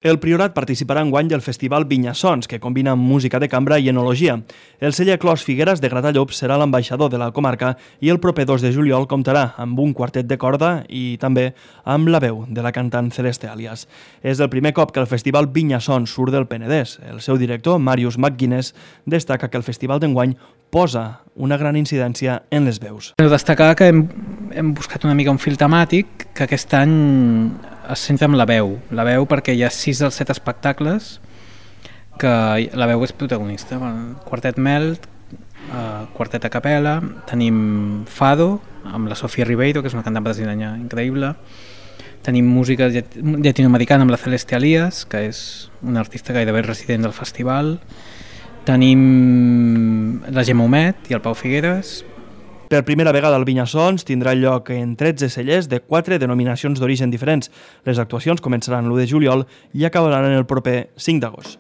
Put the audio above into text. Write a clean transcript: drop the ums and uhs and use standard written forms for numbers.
El Priorat participarà enguany del Festival Vinyasons, que combina música de cambra i enologia. El celler Clos Figueres de Gratallops serà l'ambaixador de la comarca i el proper 2 de juliol comptarà amb un quartet de corda i també amb la veu de la cantant Celeste Alias. És el primer cop que el Festival Vinyasons surt del Penedès. El seu director, Marius McGuinness, destaca que el festival d'enguany posa una gran incidència en les veus. Destacar que hem buscat una mica un fil temàtic que aquest any es centra en la veu perquè hi ha 6 dels 7 espectacles que la veu és protagonista. Quartet Melt, quartet a capella, tenim Fado amb la Sofia Ribeiro, que és una cantant brasileña increïble, tenim música llatinoamericana amb la Celeste Alias, que és una artista gairebé resident del festival, tenim la Gemma Humet i el Pau Figueres. Per primera vegada el Vinyasons tindrà lloc en 13 cellers de 4 denominacions d'origen diferents. Les actuacions començaran l'1 de juliol i acabaran el proper 5 d'agost.